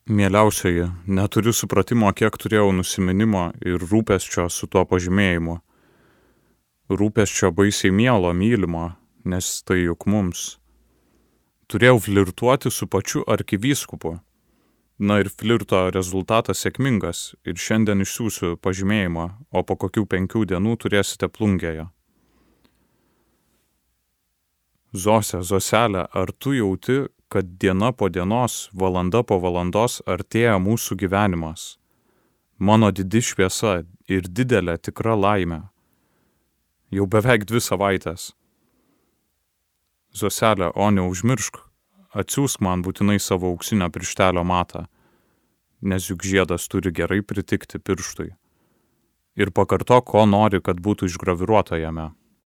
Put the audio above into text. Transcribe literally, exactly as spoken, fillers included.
Mieliausioji, neturiu supratimo, kiek turėjau nusiminimo ir rūpesčio su tuo pažymėjimu. Rūpesčio baisiai mielo, mylimo, nes tai juk mums. Turėjau flirtuoti su pačiu arkivyskupu. Na ir flirto rezultatas sėkmingas ir šiandien išsiųsiu pažymėjimą, o po kokių penkių dienų turėsite plungėje. Zose, Zoselė, ar tu jauti, kad diena po dienos, valanda po valandos artėja mūsų gyvenimas? Mano didi šviesa ir didelė tikra laimė. Jau beveik dvi savaitės. Zoselė, o neužmiršk, atsiųsk man būtinai savo auksinio pirštelio matą, nes juk žiedas turi gerai pritikti pirštui. Ir pakartok, ko nori, kad būtų išgraviruota jame.